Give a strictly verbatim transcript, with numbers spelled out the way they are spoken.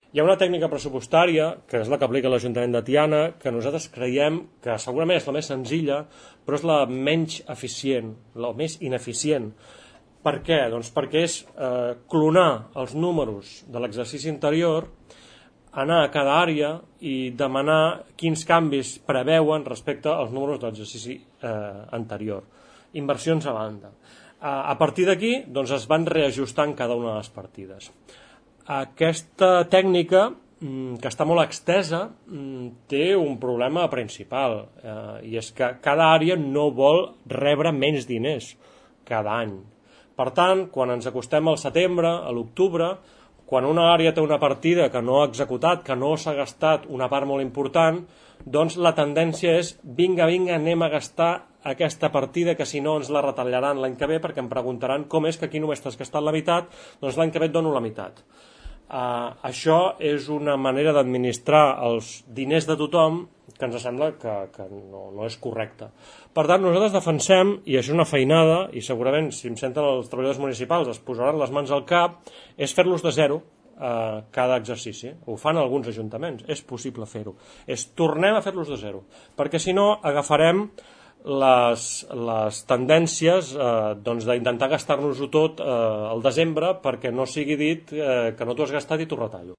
Hi ha una tècnica pressupostària, que és la que aplica l'Ajuntament de Tiana, que nosaltres creiem que segurament és la més senzilla, però és la menys eficient, la més ineficient. Per què? Doncs perquè és eh, clonar els números de l'exercici anterior, anar a cada àrea i demanar quins canvis preveuen respecte als números de l'exercici eh, anterior. Inversions a banda. A partir d'aquí doncs, es van reajustant cada una de les partides. Aquesta tècnica, que està molt extesa, té un problema principal, eh, i és que cada àrea no vol rebre menys diners cada any. Per tant, quan ens acostem al setembre, a l'octubre, quan una àrea té una partida que no ha executat, que no s'ha gastat una part molt important, doncs la tendència és vinga, vinga, anem a gastar aquesta partida que si no ens la retallaran l'any que ve perquè em preguntaran com és que aquí només t'has gastat la meitat, doncs l'any que ve et dono la meitat. Uh, això és una manera d'administrar els diners de tothom que ens sembla que, que no, no és correcta. Per tant, nosaltres defensem, i això és una feinada, i segurament si em senten els treballadors municipals es posaran les mans al cap, és fer-los de zero uh, cada exercici. Ho fan alguns ajuntaments, és possible fer-ho. És tornem a fer-los de zero, perquè si no agafarem les, les tendències eh, doncs d'intentar gastar-nos-ho tot eh, al desembre perquè no sigui dit eh, que no t'ho has gastat i t'ho retallo.